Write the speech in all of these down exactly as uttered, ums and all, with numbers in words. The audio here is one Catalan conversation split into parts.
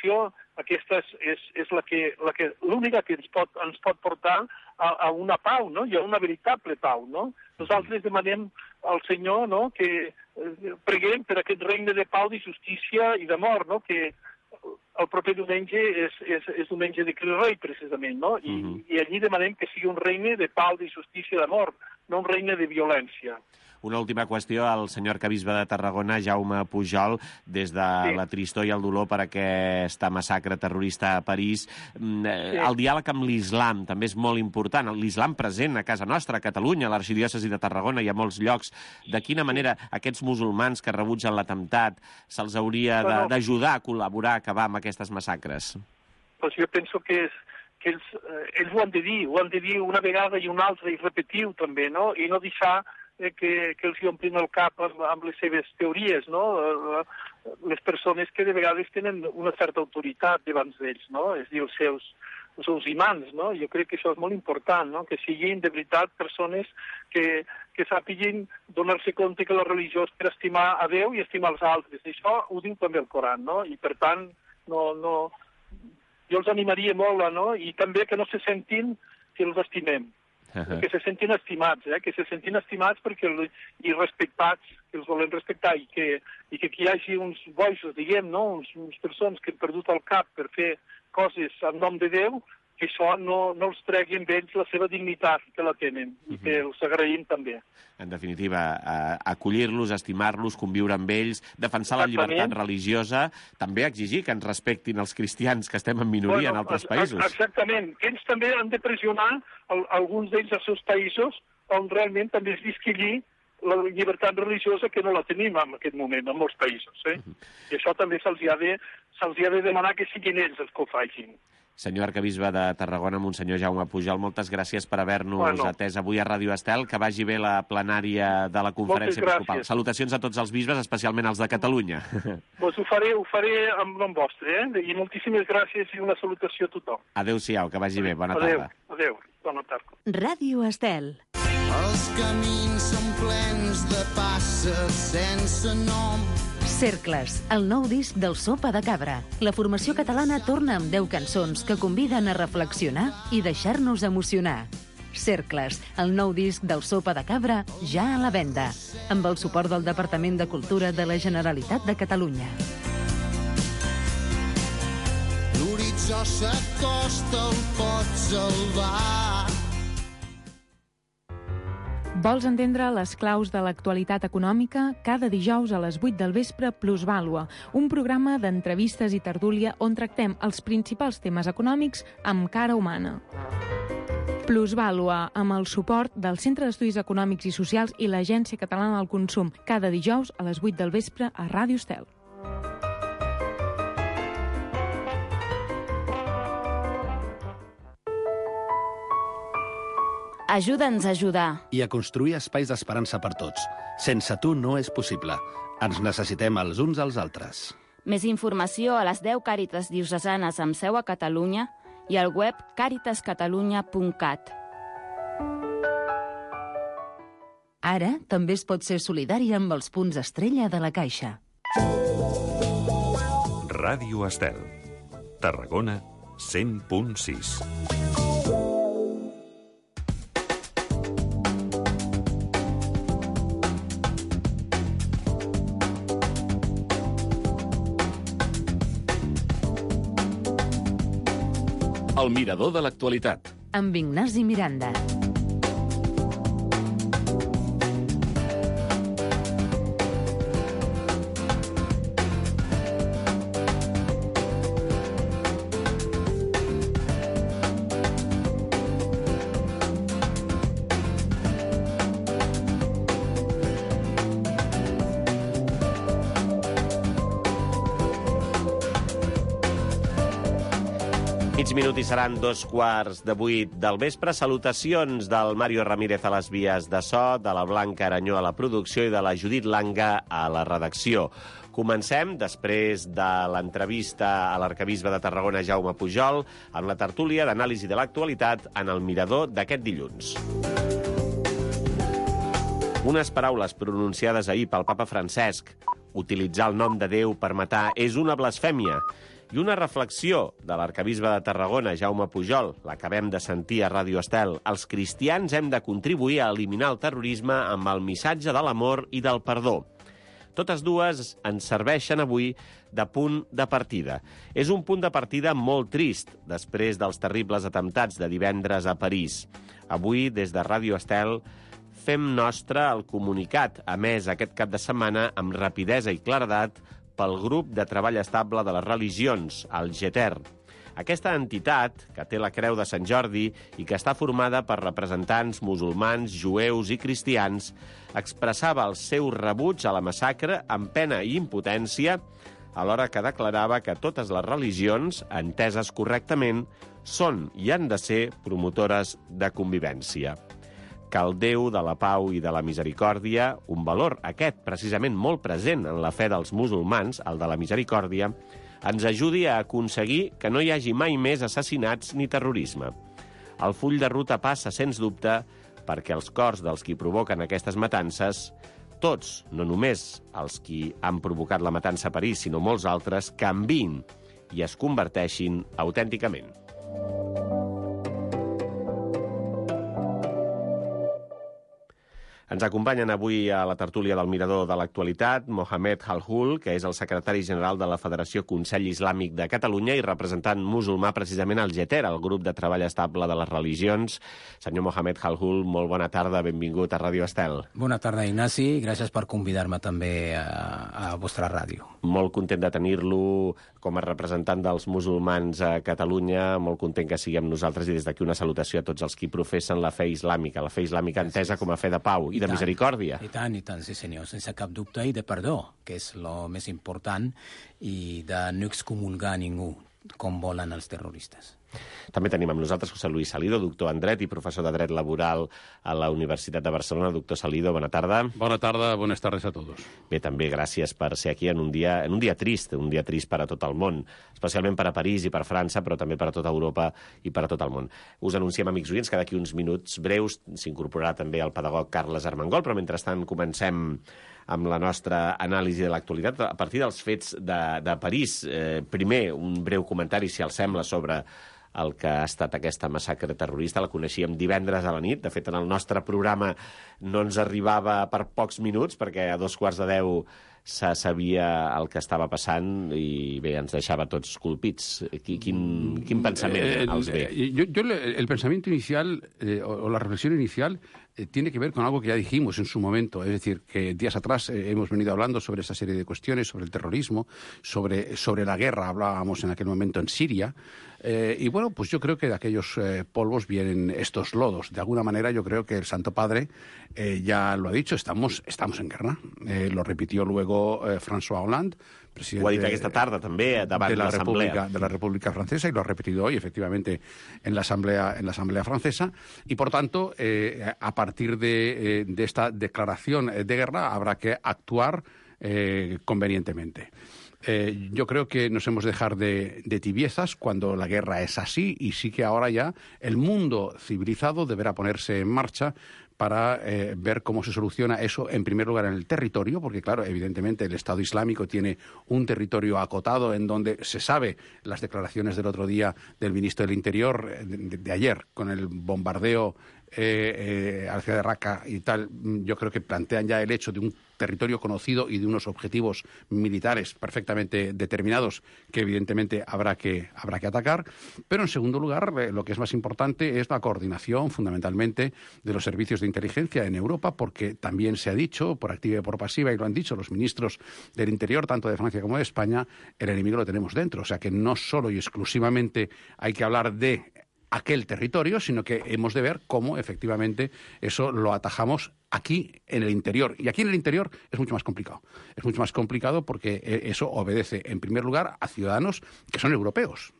reflexió, aquesta és, és, és la que, la que, l'única que ens pot, ens pot portar a, a una pau, no? I a una veritable pau, no? Nosaltres demanem al Senyor, no?, que eh, preguem per aquest regne de pau, de justícia i d'amor, no?, que el proper diumenge és, és, és diumenge de Crist Rei, precisament, no? I, uh-huh. I allí demanem que sigui un regne de pau, de justícia i d'amor, no un regne de violència. Una última qüestió al senyor arquebisbe de Tarragona, Jaume Pujol, des de sí. la tristor i el dolor per aquesta massacre terrorista a París. Sí. El diàleg amb l'islam també és molt important. L'islam present a casa nostra, a Catalunya, a l'arxidiòcesi de Tarragona i a molts llocs. De quina manera aquests musulmans que rebutgen l'atemptat se'ls hauria bueno, d'ajudar a col·laborar a acabar amb aquestes massacres? Pues jo penso que, és, que ells, eh, ells ho han de dir, ho han de dir una vegada i una altra i repetir-ho també, no? I no deixar eh, que, que els hi omplin el cap amb, amb les seves teories, no? Les persones que de vegades tenen una certa autoritat davant d'ells, no? És a dir, els seus, els seus imants, no? Jo crec que això és molt important, no? Que siguin de veritat persones que, que sàpiguen donar-se compte que la religió és per estimar a Déu i estimar els altres. Això ho diu també el Coran, no? I per tant, no, no, jo els animaria molt, no? I també que no se sentin que els estimem. Uh-huh. Que se sentin estimats, eh? Que se sentin estimats perquè el, i respectats, que els volem respectar, i que, i que aquí hi hagi uns boixos, diguem, no? Uns, uns persones que han perdut el cap per fer coses en nom de Déu, que això no, no els tregui amb ells la seva dignitat que la tenen, uh-huh. I que els agraïm també. En definitiva, eh, acollir-los, estimar-los, conviure amb ells, defensar Exactament. La llibertat religiosa, també exigir que ens respectin els cristians, que estem en minoria bueno, en altres països. Exactament. Ells també han de pressionar el, alguns d'ells als seus països on realment també es visqui allí la llibertat religiosa, que no la tenim en aquest moment en molts països. Eh? Uh-huh. I això també se'ls ha de, se'ls ha de demanar que siguin ells els que ho facin. Senyor arquebisbe de Tarragona, Monsenyor Jaume Pujol, moltes gràcies per haver-nos bueno. atès avui a Ràdio Estel. Que vagi bé la plenària de la conferència episcopal. Salutacions a tots els bisbes, especialment els de Catalunya. Pues ho faré, ho faré en nom vostre, eh? I moltíssimes gràcies i una salutació a tothom. Adéu-siau, que vagi bé. Bona adéu, tarda. Adéu, bona tarda. Ràdio Estel. Els camins són plens de passes sense nom. Cercles, el nou disc del Sopa de Cabra. La formació catalana torna amb deu cançons que conviden a reflexionar i deixar-nos emocionar. Cercles, el nou disc del Sopa de Cabra, ja a la venda, amb el suport del Departament de Cultura de la Generalitat de Catalunya. L'horitzó s'acosta, el pot salvar. Vols entendre les claus de l'actualitat econòmica? Cada dijous a les vuit del vespre, Plusvàlua, un programa d'entrevistes i tertúlia on tractem els principals temes econòmics amb cara humana. Plusvàlua, amb el suport del Centre d'Estudis Econòmics i Socials i l'Agència Catalana del Consum, cada dijous a les vuit del vespre a Ràdio Estel. Ajuda'ns a ajudar. I a construir espais d'esperança per tots. Sense tu no és possible. Ens necessitem els uns als altres. Més informació a les deu Càritas diocesanes amb seu a Catalunya i al web càritas catalunya punt cat. Ara també es pot ser solidari amb els punts estrella de la Caixa. Ràdio Estel. Tarragona, cent punt sis. El mirador de l'actualitat. Amb Ignasi Miranda. Mig minut i seran dos quarts de vuit del vespre. Salutacions del Mario Ramírez a les vies de so, de la Blanca Aranyó a la producció i de la Judit Langa a la redacció. Comencem, després de l'entrevista a l'arquebisbe de Tarragona, Jaume Pujol, amb la tertúlia d'anàlisi de l'actualitat en el mirador d'aquest dilluns. Unes paraules pronunciades ahir pel papa Francesc. Utilitzar el nom de Déu per matar és una blasfèmia. I una reflexió de l'arcabisbe de Tarragona, Jaume Pujol, l'acabem de sentir a Ràdio Estel. Els cristians hem de contribuir a eliminar el terrorisme amb el missatge de l'amor i del perdó. Totes dues ens serveixen avui de punt de partida. És un punt de partida molt trist, després dels terribles atemptats de divendres a París. Avui, des de Ràdio Estel, fem nostre el comunicat emès aquest cap de setmana amb rapidesa i claredat pel grup de treball estable de les religions, el G T E R. Aquesta entitat, que té la Creu de Sant Jordi i que està formada per representants musulmans, jueus i cristians, expressava el seu rebuig a la massacre amb pena i impotència, alhora que declarava que totes les religions, enteses correctament, són i han de ser promotores de convivència. Que el Déu de la pau i de la misericòrdia, un valor aquest precisament molt present en la fe dels musulmans, el de la misericòrdia, ens ajudi a aconseguir que no hi hagi mai més assassinats ni terrorisme. El full de ruta passa, sens dubte, perquè els cors dels qui provoquen aquestes matances, tots, no només els qui han provocat la matança a París, sinó molts altres, canviïn i es converteixin autènticament. Ens acompanyen avui a la tertúlia del Mirador de l'Actualitat Mohamed Halhul, que és el secretari general de la Federació Consell Islàmic de Catalunya i representant musulmà precisament al G T E R, el grup de treball estable de les religions. Senyor Mohamed Halhul, molt bona tarda, benvingut a Ràdio Estel. Bona tarda, Ignasi, gràcies per convidar-me també a, a vostra ràdio. Molt content de tenir-lo com a representant dels musulmans a Catalunya, molt content que siguem nosaltres i des d'aquí una salutació a tots els qui professen la fe islàmica, la fe islàmica entesa com a fe de pau i de misericòrdia. I tant, i tant, sí senyor, sense cap dubte, i de perdó, que és el més important, i de no excomulgar ningú, com volen els terroristes. També tenim amb nosaltres José Luis Salido, doctor en dret i professor de dret laboral a la Universitat de Barcelona. Doctor Salido, bona tarda. Bona tarda, buenas tardes a todos. Bé, també gràcies per ser aquí en un dia, en un dia trist, un dia trist per a tot el món, especialment per a París i per a França, però també per a tota Europa i per a tot el món. Us anunciem, amics oients, que d'aquí uns minuts breus s'incorporarà també el pedagog Carles Armengol, però mentrestant comencem amb la nostra anàlisi de l'actualitat a partir dels fets de, de París. Eh, primer, un breu comentari, si els sembla, sobre el que ha estat aquesta massacre terrorista. La coneixíem divendres a la nit. De fet, en el nostre programa no ens arribava per pocs minuts, perquè a dos quarts de deu se sabia el que estava passant i bé, ens deixava tots colpits. Quin, quin pensament els ve? Yo, yo, el pensamiento inicial, eh, o la reflexión inicial, eh, tiene que ver con algo que ya dijimos en su momento. Es decir, que días atrás eh, hemos venido hablando sobre esa serie de cuestiones, sobre el terrorismo, sobre, sobre la guerra, hablábamos en aquel momento en Siria. Eh, y bueno, pues yo creo que de aquellos eh, polvos vienen estos lodos. De alguna manera yo creo que el Santo Padre eh, ya lo ha dicho, estamos, estamos en guerra. Eh, lo repitió luego eh, François Hollande, presidente ho ha dit aquesta tarda també davant de la l'Assemblea República, de la República Francesa, y lo ha repetido hoy efectivamente en la Asamblea, en la Asamblea Francesa, y por tanto eh, a partir de, eh, de esta declaración de guerra habrá que actuar eh, convenientemente. Eh, yo creo que nos hemos de dejar de, de tibiezas cuando la guerra es así, y sí que ahora ya el mundo civilizado deberá ponerse en marcha para eh, ver cómo se soluciona eso, en primer lugar, en el territorio, porque, claro, evidentemente el Estado Islámico tiene un territorio acotado en donde se sabe las declaraciones del otro día del ministro del Interior, de, de ayer, con el bombardeo eh, eh, a la ciudad de Raqqa y tal. Yo creo que plantean ya el hecho de un territorio conocido y de unos objetivos militares perfectamente determinados que evidentemente habrá que, habrá que atacar. Pero en segundo lugar, eh, lo que es más importante es la coordinación fundamentalmente de los servicios de inteligencia en Europa, porque también se ha dicho, por activa y por pasiva, y lo han dicho los ministros del Interior, tanto de Francia como de España, el enemigo lo tenemos dentro. O sea que no solo y exclusivamente hay que hablar de aquel territorio, sino que hemos de ver cómo efectivamente eso lo atajamos aquí en el interior. Y aquí en el interior es mucho más complicado. Es mucho más complicado porque eso obedece, en primer lugar, a ciudadanos que son europeos.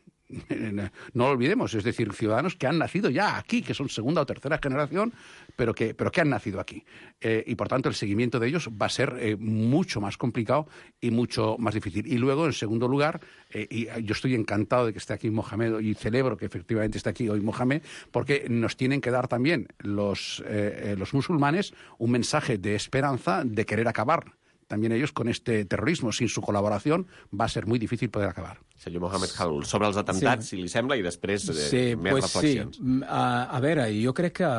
No lo olvidemos, es decir, ciudadanos que han nacido ya aquí, que son segunda o tercera generación, pero que, pero que han nacido aquí. Eh, y, por tanto, el seguimiento de ellos va a ser eh, mucho más complicado y mucho más difícil. Y luego, en segundo lugar, eh, y yo estoy encantado de que esté aquí Mohamed y celebro que efectivamente esté aquí hoy Mohamed, porque nos tienen que dar también los, eh, los musulmanes un mensaje de esperanza, de querer acabar también ellos con este terrorismo. Sin su colaboración va a ser muy difícil poder acabar. Senyor Mohamed Khalloul, sobre els atemptats, sí. si li sembla, i després eh, sí, més pues reflexions. Sí. A, a veure, jo crec que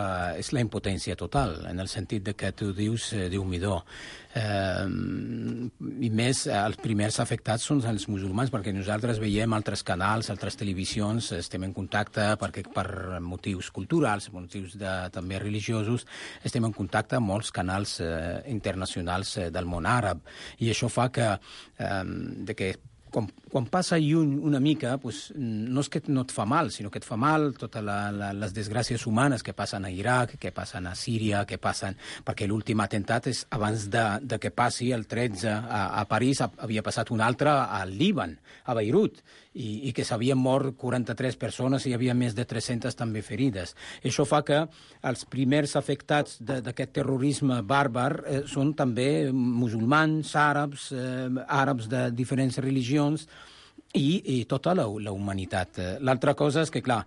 és la impotència total, en el sentit de que tu dius, eh, Déu-m'hi-do. Eh, I més, els primers afectats són els musulmans, perquè nosaltres veiem altres canals, altres televisions, estem en contacte perquè per motius culturals, motius de, també religiosos, estem en contacte amb molts canals eh, internacionals eh, del món àrab, i això fa que, eh, de que Quan, quan passa lluny una mica, pues, no és que no et fa mal, sinó que et fa mal totes la, la, les desgràcies humanes que passen a Iraq, que passen a Síria, que passen... Perquè l'últim atemptat és abans de, de que passi el tretze a, a París, havia passat un altre al Líban, a Beirut, i, i que s'havien mort quaranta-tres persones i hi havia més de tres-centes també ferides. Això fa que els primers afectats d'aquest terrorisme bàrbar eh, són també musulmans, àrabs, eh, àrabs de diferents religions, i, i tota la, la humanitat. L'altra cosa és que, clar,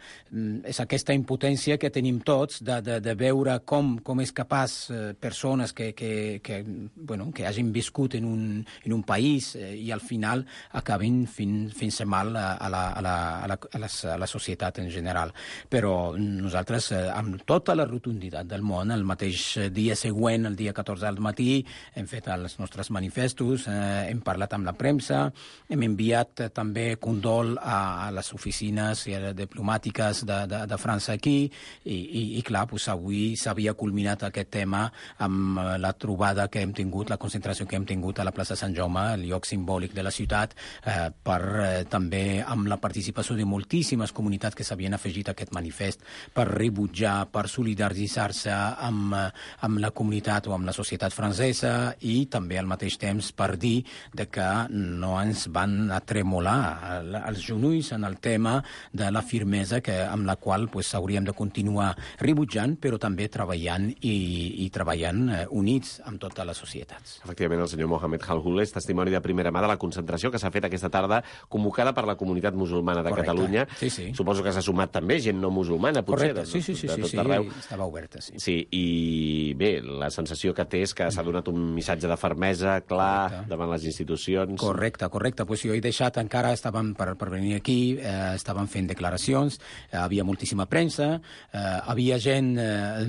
és aquesta impotència que tenim tots de, de, de veure com, com és capaç eh, persones que, que, que, bueno, que hagin viscut en un, en un país eh, i al final acabin fent, fent-se mal a, a, la, a, la, a, la, a, la, a la societat en general. Però nosaltres, eh, amb tota la rotunditat del món, el mateix dia següent, el dia catorze al matí, hem fet els nostres manifestos, eh, hem parlat amb la premsa, hem enviat eh, també condol a, a les oficines i a les diplomàtiques de, de, de França aquí i, i, i clar, pues, avui s'havia culminat aquest tema amb la trobada que hem tingut, la concentració que hem tingut a la plaça Sant Jaume, el lloc simbòlic de la ciutat, eh, per eh, també amb la participació de moltíssimes comunitats que s'havien afegit a aquest manifest per rebutjar, per solidaritzar-se amb, amb la comunitat o amb la societat francesa i també al mateix temps per dir de que no ens van atremolar als genolls en el tema de la firmesa que, amb la qual pues, hauríem de continuar rebutjant, però també treballant i, i treballant eh, units amb totes les societats. Efectivament, el senyor Mohamed Khalloul és testimoni de primera mà de la concentració que s'ha fet aquesta tarda, convocada per la comunitat musulmana de Correcte. Catalunya. Sí, sí. Suposo que s'ha sumat també gent no musulmana, potser. Correcte, sí, sí, sí, de, de sí, tot arreu. sí, estava oberta, sí. Sí, i bé, la sensació que té és que s'ha donat un missatge de fermesa clar Correcte. Davant les institucions. Correcte, correcte. Pues jo he deixat encara estàvem per, per venir aquí, eh, estàvem fent declaracions, eh, havia moltíssima premsa, eh, havia gent, eh,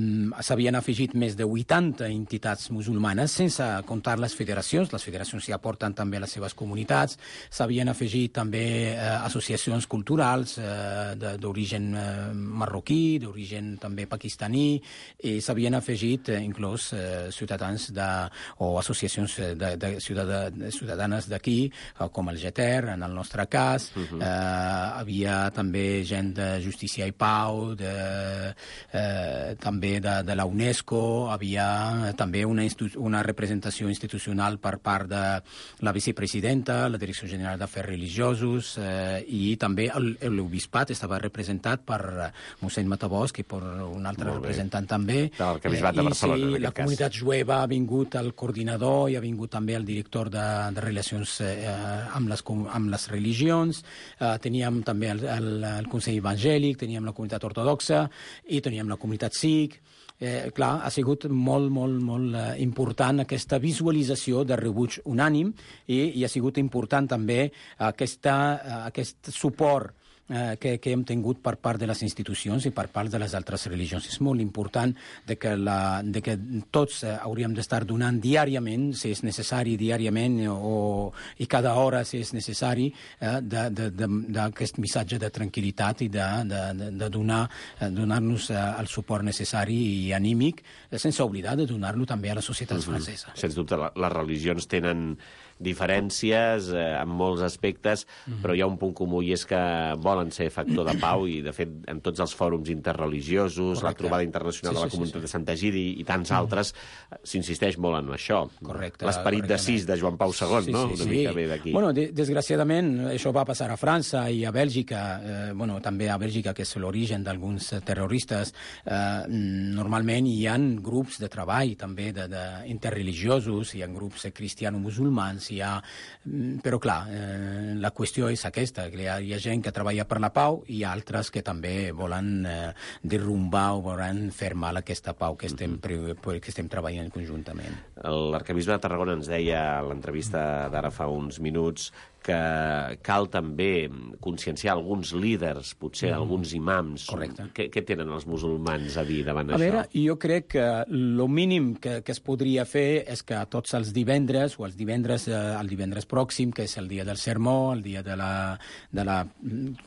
s'havien afegit més de vuitanta entitats musulmanes, sense comptar les federacions, les federacions s'hi aporten també a les seves comunitats, s'havien afegit també eh, associacions culturals eh, d'origen eh, marroquí, d'origen també pakistaní, i s'havien afegit eh, inclús eh, ciutadans de, o associacions de, de, ciutadà, de ciutadanes d'aquí, eh, com el Geter, en el nostre cas, uh -huh. eh, havia també gent de Justícia i Pau, de, eh, també de, de la UNESCO, havia també una, una representació institucional per part de la vicepresidenta, la Direcció General d'Afers Religiosos, eh, i també l'Obispat estava representat per mossèn Matabosc i per un altre representant també. L'arquebisbat de Barcelona, sí, la comunitat jueva ha vingut el coordinador i ha vingut també el director de, de relacions eh, amb, les, amb les religions. Uh, teníem també el, el, el Consell Evangèlic, teníem la comunitat ortodoxa i teníem la comunitat sikh. Eh, clar, ha sigut molt, molt, molt eh, important aquesta visualització de rebuig unànim i, i ha sigut important també aquesta, uh, aquest suport eh, que, que hem tingut per part de les institucions i per part de les altres religions. És molt important de que, la, de que tots eh, hauríem d'estar donant diàriament, si és necessari diàriament o, i cada hora si és necessari, eh, d'aquest missatge de tranquil·litat i de, de, de, de donar, eh, donar-nos eh, el suport necessari i anímic, eh, sense oblidar de donar-lo també a la societat mm-hmm. francesa. Sens dubte, la, les religions tenen diferències eh, en molts aspectes, mm-hmm. però hi ha un punt comú i és que volen ser factor de pau i, de fet, en tots els fòrums interreligiosos, correcte. La trobada internacional sí, de la comunitat sí, sí. de Sant Egidi i tants mm-hmm. altres, s'insisteix molt en això. Correcte. L'esperit de sis de Joan Pau segon, sí, no? Sí, Una sí. mica ve d'aquí. Bueno, de desgraciadament, això va passar a França i a Bèlgica, eh, bueno, també a Bèlgica, que és l'origen d'alguns terroristes. Eh, normalment hi ha grups de treball també de, de interreligiosos, hi ha grups cristiano-musulmans, hi ha... Però, clar, eh, la qüestió és aquesta, que hi ha, hi ha gent que treballa per la pau i altres que també volen eh, derrumbar o volen fer mal aquesta pau que estem, mm-hmm. que estem treballant conjuntament. L'arquebisbe de Tarragona ens deia a l'entrevista d'ara fa uns minuts que cal també conscienciar alguns líders, potser mm. alguns imams. Correcte. Què, què tenen els musulmans a dir davant a això? Veure, jo crec que el mínim que, que es podria fer és que tots els divendres, o els divendres, eh, el divendres pròxim, que és el dia del sermó, el dia de la, de la,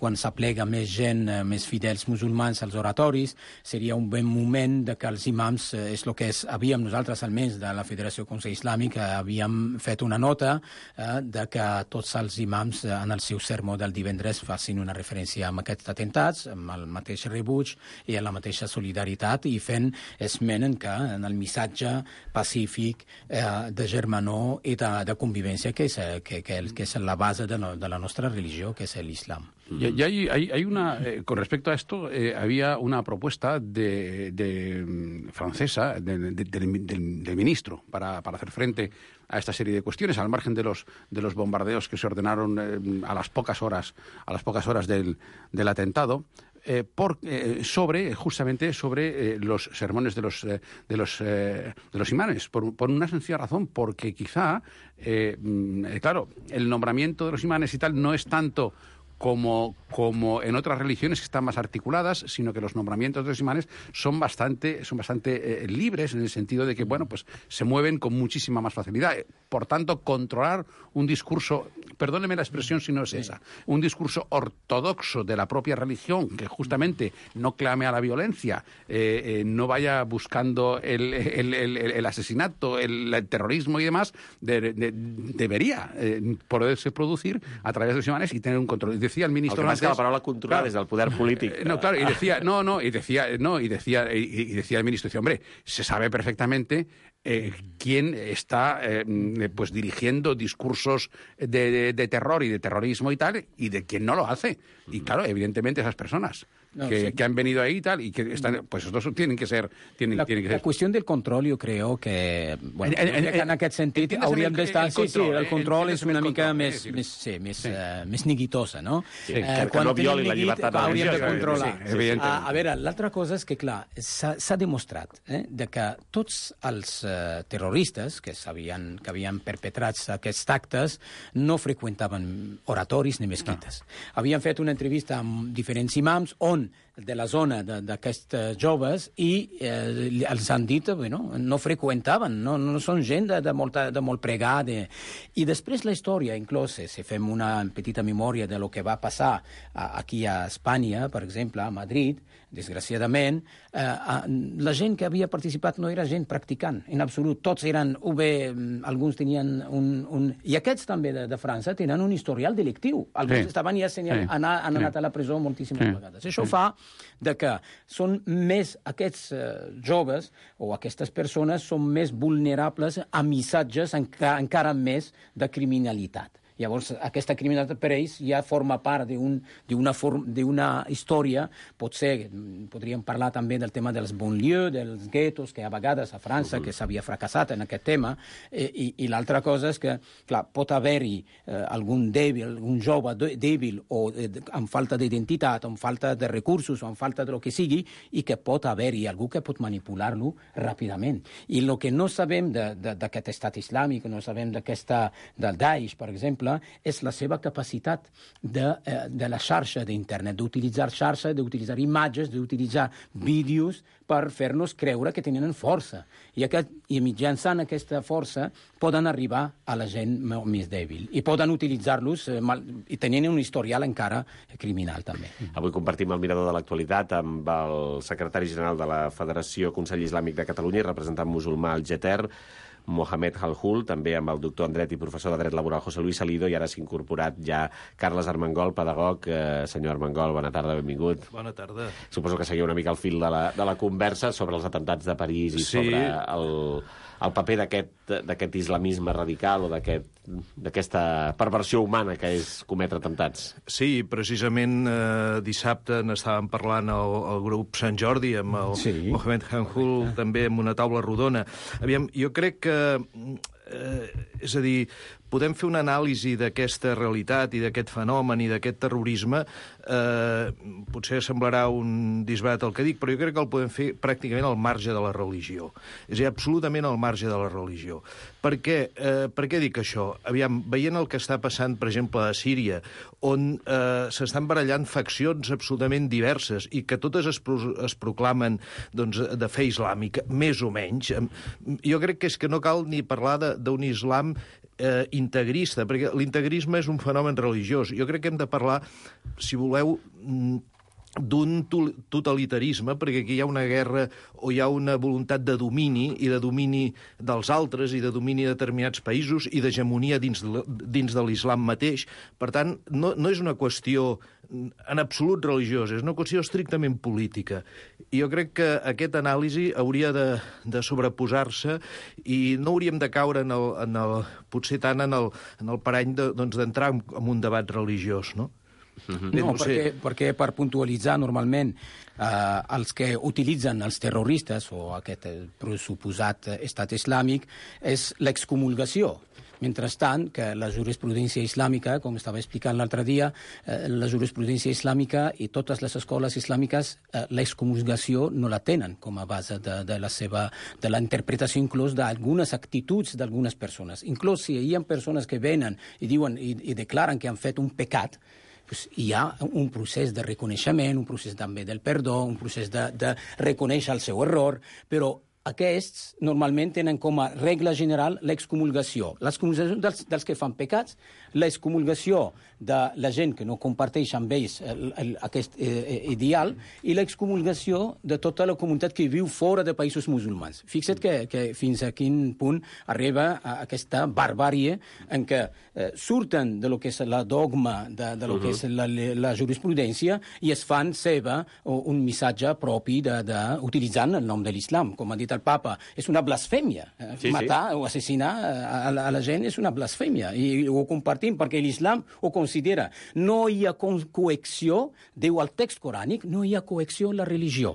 quan s'aplega més gent, eh, més fidels musulmans als oratoris, seria un bon moment de que els imams, eh, és el que és, havíem nosaltres almenys de la Federació Consell Islàmic, eh, havíem fet una nota eh, de que tots els imams en el seu sermó del divendres facin una referència amb aquests atemptats, amb el mateix rebuig i amb la mateixa solidaritat, i fent esment en que en el missatge pacífic eh, de germanor i de, de convivència que és, que, que, que és la base de, no, de la nostra religió, que és l'islam. Y, y hay, hay, hay una, eh, con respecto a esto, eh, había una propuesta de, de mm, francesa de, de, de, del, del ministro para, para hacer frente a esta serie de cuestiones, al margen de los de los bombardeos que se ordenaron eh, a las pocas horas a las pocas horas del, del atentado. Eh, por, eh, sobre justamente sobre eh, los sermones de los eh, de los eh, de los imanes, por, por una sencilla razón, porque quizá eh, eh, claro, el nombramiento de los imanes y tal no es tanto Como, como en otras religiones que están más articuladas, sino que los nombramientos de los imanes son bastante, son bastante eh, libres, en el sentido de que, bueno, pues se mueven con muchísima más facilidad. Por tanto, controlar un discurso, perdóneme la expresión si no es esa, un discurso ortodoxo de la propia religión, que justamente no clame a la violencia, eh, eh, no vaya buscando el, el, el, el asesinato, el, el terrorismo y demás, de, de, debería eh, poderse producir a través de los imanes y tener un control. Decía el ministro el que antes, que la paraula controlar claro, des del poder polític. Eh, no, claro, y decía, no, no, y decía, no, y decía, y, y decía el ministro, decía, hombre, se sabe perfectamente eh, quién está eh, pues dirigiendo discursos de, de, de terror y de terrorismo y tal, y de quién no lo hace. Y claro, evidentemente esas personas no, que, sí. que han venido ahí y tal, y que están, pues estos tienen que ser... Tienen, la, tienen que ser... la qüestió del control, jo crec que... Bueno, en, en, en aquest sentit hauríem d'estar... Sí, sí, el control és una mica control, més, més, sí, més, sí. Uh, més neguitosa, no? Sí, eh, que, que no violi la llibertat de hauríem de controlar. Sí, sí, sí, a, a veure, l'altra cosa és que, clar, s'ha demostrat eh, de que tots els uh, terroristes que, havien, que havien perpetrat aquests actes no freqüentaven oratoris ni mesquites. No. Havien fet una entrevista amb diferents imams on de la zona d'aquests joves i eh, els han dit bueno, no freqüentaven, no, no són gent de, de, molta, de molt pregar. De... I després la història, inclús, si fem una petita memòria de lo que va passar a, aquí a Espanya, per exemple, a Madrid, desgraciadament, eh, la gent que havia participat no era gent practicant, en absolut. Tots eren, o bé, alguns tenien un... un... I aquests també de, de França tenen un historial delictiu. Alguns sí. estaven ja senyal... sí. anar, han anat sí. a la presó moltíssimes sí. vegades. Això sí. fa de que són més aquests eh, joves o aquestes persones són més vulnerables a missatges enca, encara més de criminalitat. Llavors, aquesta criminalitat per ells ja forma part d'una història, potser podríem parlar també del tema dels banlieues, dels guetos, que a vegades a França, que s'havia fracassat en aquest tema, eh, i, i l'altra cosa és que, clar, pot haver-hi eh, algun dèbil, algun jove dèbil o eh, amb falta d'identitat, amb falta de recursos, o amb falta de lo que sigui, i que pot haver-hi algú que pot manipular-lo ràpidament. I el que no sabem d'aquest estat islàmic, no sabem d'aquesta, del Daesh, per exemple, és la seva capacitat de, eh, de la xarxa d'internet, d'utilitzar xarxa, d'utilitzar imatges, d'utilitzar vídeos per fer-nos creure que tenen força. I, aquest, i mitjançant aquesta força poden arribar a la gent més dèbil i poden utilitzar-los eh, mal, i tenint un historial encara criminal també. Avui compartim el mirador de l'actualitat amb el secretari general de la Federació Consell Islàmic de Catalunya i representant musulmà al Geter, Mohamed Halhul, també amb el doctor en dret i professor de dret laboral José Luis Salido, i ara s'ha incorporat ja Carles Armengol, pedagog. Eh, senyor Armengol, bona tarda, benvingut. Bona tarda. Suposo que seguiu una mica el fil de la, de la conversa sobre els atemptats de París i sí. sobre el, el paper d'aquest islamisme radical o d'aquesta perversió humana que és cometre atemptats. Sí, precisament eh, dissabte n'estàvem parlant al, al grup Sant Jordi amb el sí. Mohamed Halhul, també amb una taula rodona. Aviam, jo crec que Eh, és a dir, podem fer una anàlisi d'aquesta realitat i d'aquest fenomen i d'aquest terrorisme. Eh, potser semblarà un disbarat el que dic, però jo crec que el podem fer pràcticament al marge de la religió. És a dir, absolutament al marge de la religió. Per què, eh, per què dic això? Aviam, veient el que està passant, per exemple, a Síria, on eh, s'estan barallant faccions absolutament diverses i que totes es, pro es proclamen doncs, de fe islàmica, més o menys, jo crec que és que no cal ni parlar d'un islam eh, integrista, perquè l'integrisme és un fenomen religiós. Jo crec que hem de parlar, si voleu, d'un totalitarisme, perquè aquí hi ha una guerra o hi ha una voluntat de domini i de domini dels altres i de domini de determinats països i d'hegemonia dins, dins de l'islam mateix. Per tant, no, no és una qüestió en absolut religiosa, és una qüestió estrictament política. I jo crec que aquesta anàlisi hauria de, de sobreposar-se i no hauríem de caure en el, en el, potser tant en el, en el parany de, doncs, d'entrar en, en un debat religiós, no? No, perquè, perquè per puntualitzar normalment eh, els que utilitzen els terroristes o aquest pressuposat estat islàmic és l'excomulgació. Mentrestant, que la jurisprudència islàmica, com estava explicant l'altre dia, eh, la jurisprudència islàmica i totes les escoles islàmiques eh, l'excomulgació no la tenen com a base de, de la seva, de la interpretació inclús d'algunes actituds d'algunes persones. Inclús si hi ha persones que venen i diuen i, i declaren que han fet un pecat, pues hi ha un procés de reconeixement, un procés també del perdó, un procés de, de reconèixer el seu error, però aquests normalment tenen com a regla general l'excomulgació. L'excomulgació dels, dels que fan pecats, l'excomulgació de la gent que no comparteix amb ells el, el, aquest eh, ideal i l'excomulgació de tota la comunitat que viu fora de països musulmans. Fixa't que, que fins a quin punt arriba a aquesta barbàrie en què eh, surten de lo que és la dogma, de, de lo uh -huh. que és la, la jurisprudència i es fan seva un missatge propi de, de, utilitzant el nom de l'islam, com ha dit el papa, és una blasfèmia. Sí, Matar sí. o assassinar a la, a la gent és una blasfèmia i ho compartim perquè l'islam ho considera. No hi ha coacció, diu el text corànic, no hi ha coacció en la religió.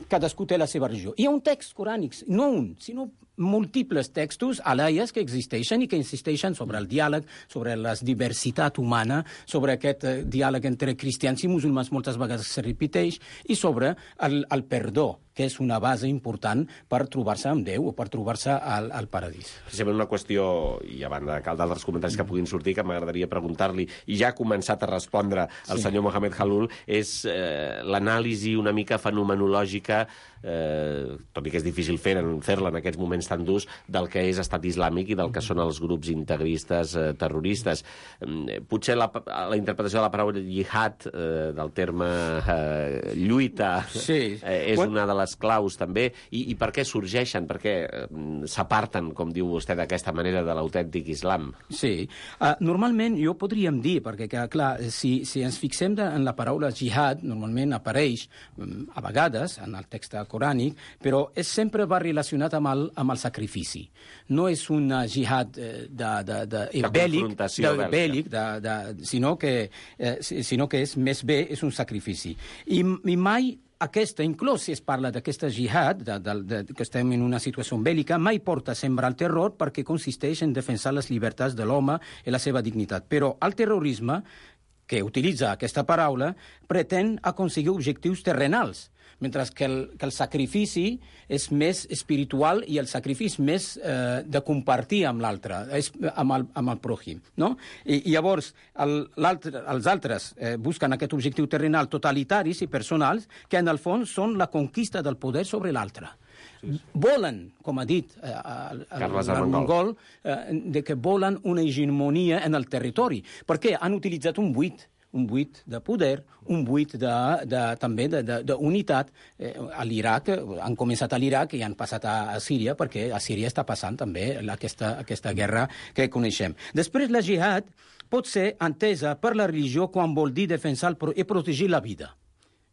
Cadascú té la seva religió. Hi ha un text corànic, no un, sinó múltiples textos alaies que existeixen i que insisteixen sobre el diàleg, sobre la diversitat humana, sobre aquest eh, diàleg entre cristians i musulmans moltes vegades se repeteix, i sobre el, el perdó, que és una base important per trobar-se amb Déu o per trobar-se al, al paradís. Precisament una qüestió, i a banda de d'altres comentaris que puguin sortir, que m'agradaria preguntar-li, i ja ha començat a respondre el sí. senyor Mohamed Khalloul, és eh, l'anàlisi una mica fenomenològica, eh, tot i que és difícil fer-la fer en aquests moments tan durs, del que és estat islàmic i del que són els grups integristes eh, terroristes. Eh, potser la, la interpretació de la paraula jihad, eh, del terme eh, lluita, sí. eh, és What? una de les claus també, i, i per què sorgeixen, per què eh, s'aparten, com diu vostè, d'aquesta manera de l'autèntic islam? Sí, uh, normalment jo podríem dir, perquè que, clar, si, si ens fixem de, en la paraula jihad, normalment apareix um, a vegades en el text corànic, però és, sempre va relacionat amb el, amb el sacrifici. No és un jihad eh, de, de, de, de bèl·lic, de, bèl·lic de, de, sinó, que, eh, sinó que és més bé, és un sacrifici. I, i mai aquesta, inclús si es parla d'aquesta jihad, de, de, de, que estem en una situació bèl·lica, mai porta a sembrar el terror perquè consisteix en defensar les llibertats de l'home i la seva dignitat. Però el terrorisme, que utilitza aquesta paraula, pretén aconseguir objectius terrenals, mentre que el, que el sacrifici és més espiritual i el sacrifici més eh, de compartir amb l'altre, amb, el, amb el pròjim. No? I, i llavors el, els altres eh, busquen aquest objectiu terrenal totalitaris i personals que en el fons són la conquista del poder sobre l'altre. Sí, sí. Volen, com ha dit eh, el, el, el mongol, eh, de que volen una hegemonia en el territori, perquè han utilitzat un buit, un buit de poder, un buit de, de, també d'unitat. Eh, a l'Iraq, han començat a l'Iraq i han passat a, a Síria, perquè a Síria està passant també aquesta, aquesta guerra que coneixem. Després, la jihad pot ser entesa per la religió quan vol dir defensar i protegir la vida.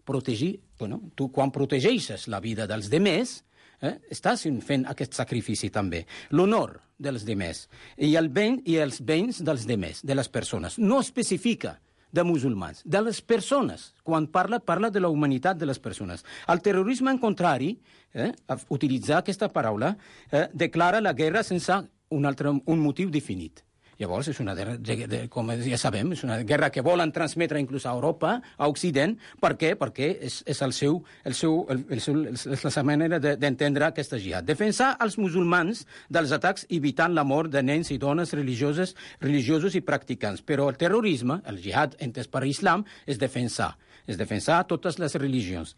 Protegir, bueno, tu quan protegeixes la vida dels demés, Eh? estàs fent aquest sacrifici també. L'honor dels demés i, el ben, i els béns dels demés, de les persones. No especifica de musulmans, de les persones. Quan parla, parla de la humanitat de les persones. El terrorisme, en contrari, eh, a utilitzar aquesta paraula, eh, declara la guerra sense un, altre, un motiu definit. Llavors, és una guerra, com ja sabem, és una guerra que volen transmetre inclús a Europa, a Occident. Per què? Perquè és, és, el seu, el seu, el, el seu, és la seva manera d'entendre aquesta jihad. Defensar els musulmans dels atacs evitant la mort de nens i dones religioses, religiosos i practicants. Però el terrorisme, el jihad entès per l'islam, és defensar. És defensar totes les religions,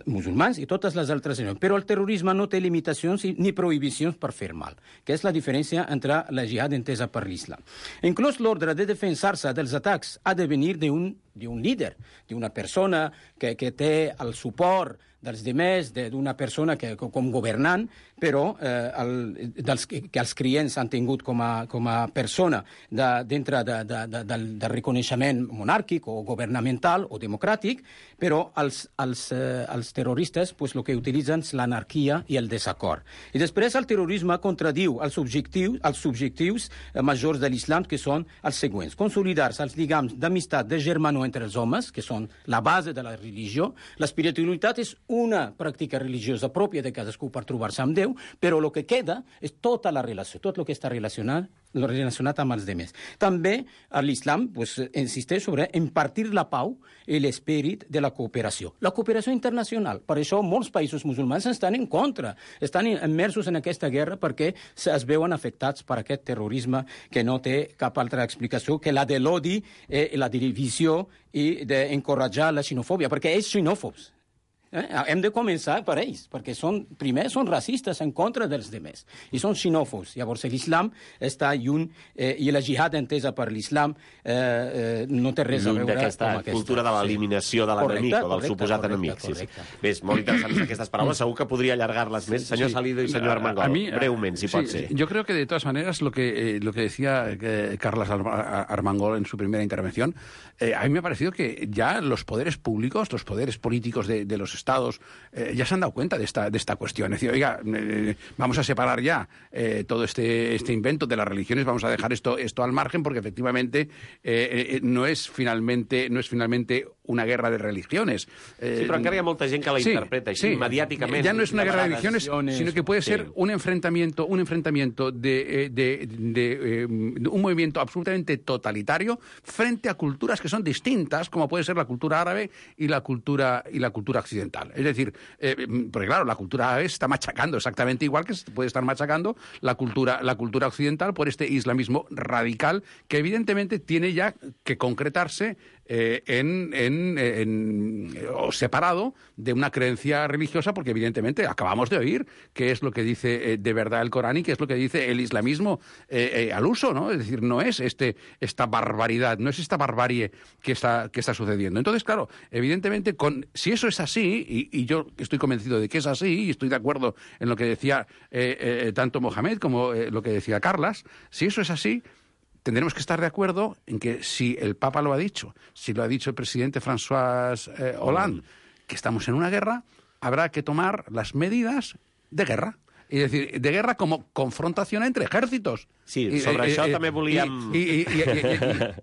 musulmans i totes les altres religions. Però el terrorisme no té limitacions ni prohibicions per fer mal, que és la diferència entre la jihad entesa per l'islam. Inclús l'ordre de defensar-se dels atacs ha de venir d'un d'un líder, d'una persona que, que té el suport dels demés, d'una persona que, com governant, però eh, el, dels, que, que els clients han tingut com a, com a persona de, dintre de, de, de, del, del reconeixement monàrquic o governamental o democràtic, però els, els, eh, els terroristes pues, el que utilitzen és l'anarquia i el desacord. I després el terrorisme contradiu els objectius, els objectius eh, majors de l'islam, que són els següents. Consolidar-se els lligams d'amistat, de germanor entre els homes, que són la base de la religió. L'espiritualitat és una pràctica religiosa pròpia de cadascú per trobar-se amb Déu, però el que queda és tota la relació, tot el que està relacionat, relacionat amb els demés. També l'islam pues, insisteix sobre impartir la pau i l'esperit de la cooperació. La cooperació internacional. Per això molts països musulmans estan en contra, estan immersos en aquesta guerra perquè es veuen afectats per aquest terrorisme que no té cap altra explicació que la de l'odi i la divisió i d'encoratjar la xenofòbia, perquè és xenòfobs. Eh? Hem de començar per ells, perquè són, primer són racistes en contra dels demés i són xenòfobs. Llavors l'islam està lluny eh, i la jihad entesa per l'islam eh, eh, no té res lluny a veure amb aquesta cultura de l'eliminació de l'enemic o del suposat enemic. Sí, sí. Bé, molt interessants aquestes paraules, segur que podría allargar-les més. Senyor sí. Salido y señor Armengol, a mí, breument, si sí, pot ser. Yo creo que de todas maneras lo que, eh, lo que decía eh, Carles Armengol en su primera intervención, eh, a mí me ha parecido que ya los poderes públicos, los poderes políticos de, de los estados eh, ya se han dado cuenta de esta, de esta cuestión. Es decir, oiga, eh, vamos a separar ya eh, todo este, este invento de las religiones, vamos a dejar esto, esto al margen, porque efectivamente eh, eh, no es finalmente no es finalmente una guerra de religiones. Eh, sí, però encara hi ha molta gent que la sí, interpreta així, sí. mediàticament. Ya no es una guerra de religiones, sino que puede ser sí. un enfrentamiento, un enfrentamiento de, de, de, de, de un movimiento absolutamente totalitario frente a culturas que son distintas, como puede ser la cultura árabe y la cultura y la cultura occidental. Es decir, eh, porque claro, la cultura árabe está machacando exactamente igual que puede estar machacando la cultura, la cultura occidental por este islamismo radical que evidentemente tiene ya que concretarse eh, en, en, en, o separado de una creencia religiosa, porque evidentemente acabamos de oír qué es lo que dice eh, de verdad el Corán y qué es lo que dice el islamismo eh, eh, al uso, ¿no? Es decir, no es este esta barbaridad, no es esta barbarie que está, que está sucediendo. Entonces, claro, evidentemente, con, si eso es así, y, y yo estoy convencido de que es así, y estoy de acuerdo en lo que decía eh, eh, tanto Mohamed como eh, lo que decía Carlas, si eso es así, tendremos que estar de acuerdo en que si el Papa lo ha dicho, si lo ha dicho el presidente François eh, Hollande, que estamos en una guerra, habrá que tomar las medidas de guerra. És a dir, de guerra com confrontació entre ejércitos. Sí, sobre I, això eh, també volíem... Y, y, y,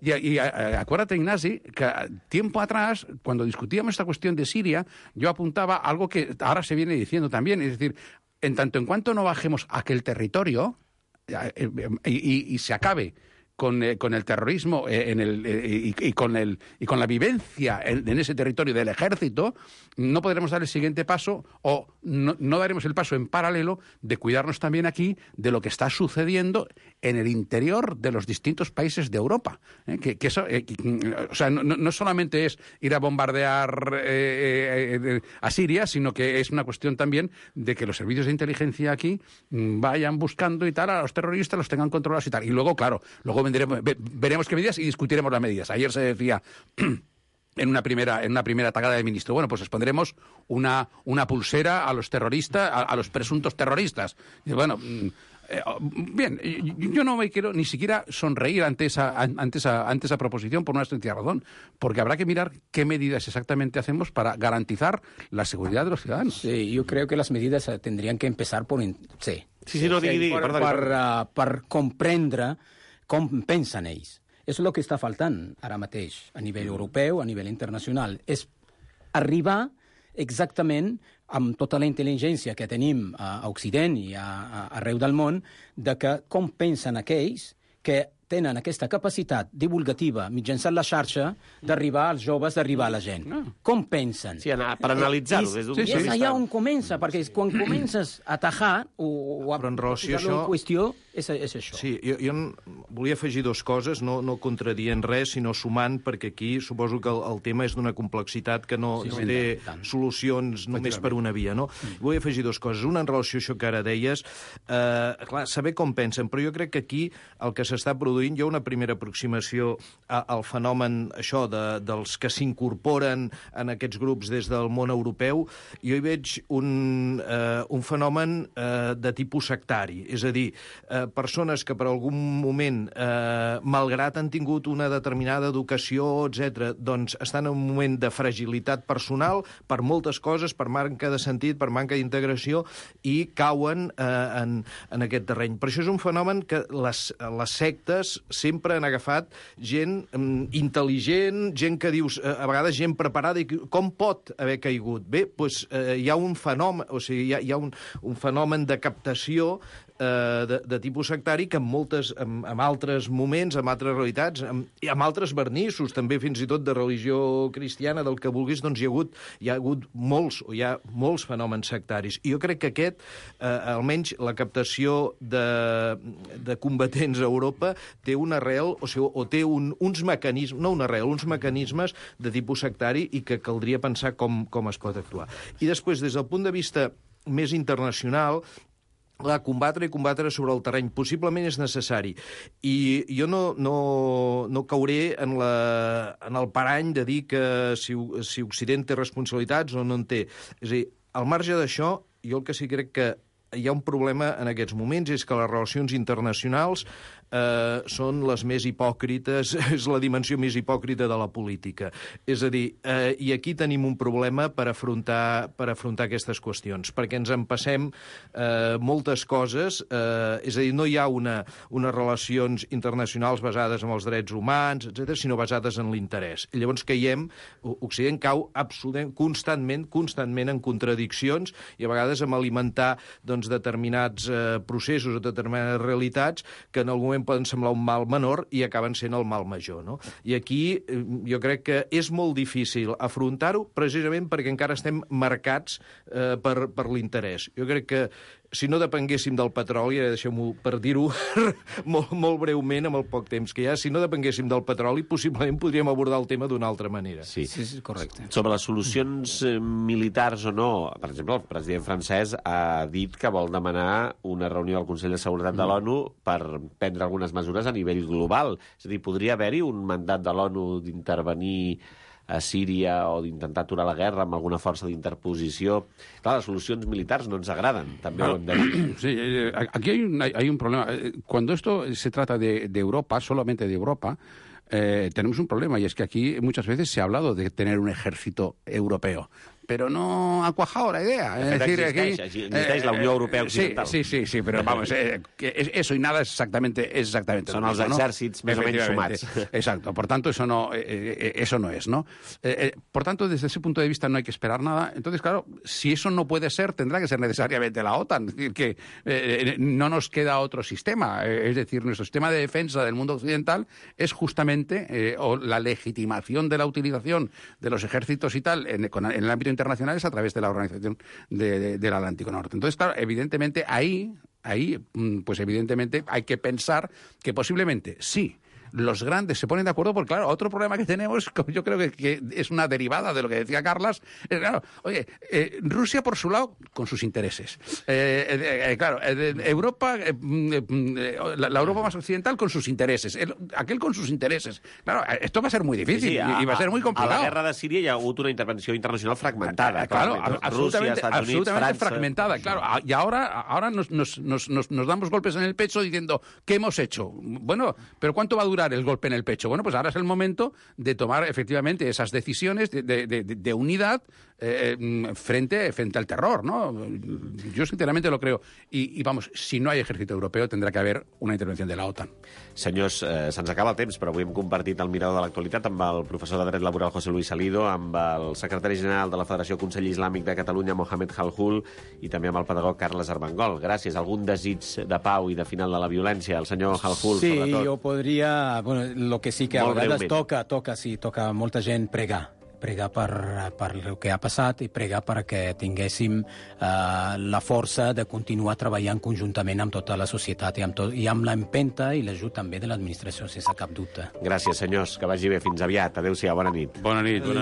y, y, y, y acuérdate, Ignasi, que tiempo atrás, cuando discutíamos esta cuestión de Siria, yo apuntaba algo que ahora se viene diciendo también, es decir, en tanto en cuanto no bajemos aquel territorio y, y, y se acabe con, eh, con el terrorismo eh, en el, eh, y, y, con el, y con la vivencia en, en ese territorio del ejército, no podremos dar el siguiente paso o no, no daremos el paso en paralelo de cuidarnos también aquí de lo que está sucediendo en el interior de los distintos países de Europa. ¿eh? Que, que eso, eh, o sea, no, no solamente es ir a bombardear eh, eh, a Siria, sino que es una cuestión también de que los servicios de inteligencia aquí vayan buscando y tal a los terroristas, los tengan controlados y tal. Y luego, claro, luego Veremos, veremos qué medidas y discutiremos las medidas. Ayer se decía en una primera en una primera atacada del ministro, bueno, pues les pondremos una, una pulsera a los terroristas, a, a los presuntos terroristas. Y bueno, eh, bien, yo no me quiero ni siquiera sonreír ante esa, ante esa, ante esa proposición por una sencilla razón, porque habrá que mirar qué medidas exactamente hacemos para garantizar la seguridad de los ciudadanos. Sí, yo creo que las medidas tendrían que empezar por... Sí, sí, sí no, digui, digui, per, per, uh, per comprendre com pensen ells. És el que està faltant ara mateix a nivell europeu, a nivell internacional. És arribar exactament amb tota la intel·ligència que tenim a Occident i a, a, arreu del món, de que com pensen aquells que tenen aquesta capacitat divulgativa mitjançant la xarxa d'arribar als joves, d'arribar a la gent. No. Com pensen? Sí, per analitzar-ho. I, i, i és allà on comença, perquè quan comences a atajar o, o a posar-lo en qüestió, és, és això. Sí, jo, jo volia afegir dues coses, no, no contradient res, sinó sumant, perquè aquí suposo que el, el tema és d'una complexitat que no, sí, no té tant. solucions només per una via, no? Mm. Vull afegir dues coses. Una, en relació a això que ara deies, eh, clar, saber com pensen, però jo crec que aquí el que s'està produint, hi ha una primera aproximació a, al fenomen, això, de, dels que s'incorporen en aquests grups des del món europeu. Jo hi veig un, eh, un fenomen eh, de tipus sectari, és a dir, eh, persones que per algun moment, eh, malgrat han tingut una determinada educació, etcètera, doncs estan en un moment de fragilitat personal per moltes coses, per manca de sentit, per manca d'integració, i cauen eh, en, en aquest terreny. Per això és un fenomen que les, les sectes sempre han agafat gent um, intel·ligent, gent que dius, eh, a vegades gent preparada, i com pot haver caigut? Bé, doncs eh, hi ha un fenomen, o sigui, hi ha, hi ha un, un fenomen de captació eh, de, de tipus sectari que en moltes, en, en altres moments, en altres realitats, en, i amb altres vernissos, també fins i tot de religió cristiana, del que vulguis, doncs hi ha hagut, hi ha hagut molts, o hi ha molts fenòmens sectaris. I jo crec que aquest, eh, almenys la captació de, de combatents a Europa, té una arrel, o sigui, o té un, uns mecanismes, no una arrel, uns mecanismes de tipus sectari, i que caldria pensar com, com es pot actuar. I després, des del punt de vista més internacional, la combatre i combatre sobre el terreny possiblement és necessari. I jo no, no, no cauré en, la, en el parany de dir que si, si Occident té responsabilitats o no en té. És a dir, al marge d'això, jo el que sí crec que hi ha un problema en aquests moments, és que les relacions internacionals eh, són les més hipòcrites, és la dimensió més hipòcrita de la política. És a dir, eh, i aquí tenim un problema per afrontar, per afrontar aquestes qüestions, perquè ens en passem eh, moltes coses, eh, és a dir, no hi ha una, unes relacions internacionals basades en els drets humans, etcètera, sinó basades en l'interès. I llavors caiem, Occident cau absolutament, constantment, constantment en contradiccions, i a vegades en alimentar, doncs, determinats eh, processos o determinades realitats que en algun moment poden semblar un mal menor i acaben sent el mal major, no? I aquí eh, jo crec que és molt difícil afrontar-ho precisament perquè encara estem marcats eh, per, per l'interès. Jo crec que si no depenguéssim del petroli, deixeu-m'ho per dir-ho molt, molt breument amb el poc temps que hi ha, si no depenguéssim del petroli, possiblement podríem abordar el tema d'una altra manera. Sí, sí, sí, correcte. Sobre les solucions militars o no, per exemple, el president francès ha dit que vol demanar una reunió al Consell de Seguretat de l'ONU per prendre algunes mesures a nivell global. És a dir, podria haver-hi un mandat de l'ONU d'intervenir a Síria o d'intentar aturar la guerra amb alguna força d'interposició. Clar, les solucions militars no ens agraden, també ho hem de dir. Sí, aquí hay un, hay un problema. Cuando esto se trata de, de Europa, solamente de Europa, eh, tenemos un problema, y es que aquí muchas veces se ha hablado de tener un ejército europeo. Pero no ha cuajado la idea. Es decir, existeix, aquí, existeix eh, la Unió Europea Occidental. Sí, sí, sí, sí, pero vamos, eh, que eso y nada es exactamente, es exactamente Son lo mismo, els exèrcits ¿no? més o menys sumats. Exacto, por tanto, eso no, eh, eso no es, ¿no? Eh, eh, por tanto, desde ese punto de vista no hay que esperar nada. Entonces, claro, si eso no puede ser, tendrá que ser necesariamente la OTAN. Es decir, que eh, no nos queda otro sistema. Eh, es decir, nuestro sistema de defensa del mundo occidental es justamente eh, o la legitimación de la utilización de los ejércitos y tal en, en el ámbito internacional es a través de la Organización de, de, del Atlántico Norte. Entonces, claro, evidentemente ahí, ahí, pues evidentemente hay que pensar que posiblemente sí, los grandes se ponen de acuerdo, porque claro, otro problema que tenemos, yo creo que, que es una derivada de lo que decía Carlas, es claro, oye, eh, Rusia por su lado, con sus intereses. Eh, eh, eh, claro, eh, Europa, eh, eh, la, la Europa más occidental con sus intereses, el, aquel con sus intereses. Claro, esto va a ser muy difícil sí, sí, a, y va a ser muy complicado. A la guerra de Síria hi ha hagut una intervenció internacional fragmentada. Claro, claro absolutamente, Rusia, Unidos, absolutamente Francia. fragmentada, claro. Y ahora, ahora nos, nos, nos, nos damos golpes en el pecho diciendo, ¿qué hemos hecho? Bueno, pero ¿cuánto va a durar durar el golpe en el pecho? Bueno, pues ahora es el momento de tomar efectivamente esas decisiones de, de, de, de unidad eh, frente, frente al terror, ¿no? Yo sinceramente lo creo. I, i vamos, si no hay ejército europeo tendrá que haber una intervención de la OTAN. Senyors, eh, se'ns acaba el temps, però avui hem compartit el mirador de l'actualitat amb el professor de dret laboral José Luis Salido, amb el secretari general de la Federació Consell Islàmic de Catalunya, Mohamed Halhul, i també amb el pedagog Carles Armengol. Gràcies. Algun desig de pau i de final de la violència? El senyor Halhul, sí, sobretot. Sí, jo podria... Bueno, lo que sí que Molt a vegades breument. toca, toca, sí, toca molta gent pregar. Pregar per, per el que ha passat i pregar perquè tinguéssim uh, la força de continuar treballant conjuntament amb tota la societat i amb, tot, i amb l'empenta i l'ajut també de l'administració, sense cap dubte. Gràcies, senyors. Que vagi bé. Fins aviat. Adéu-siau. Bona nit. Bona nit. Bona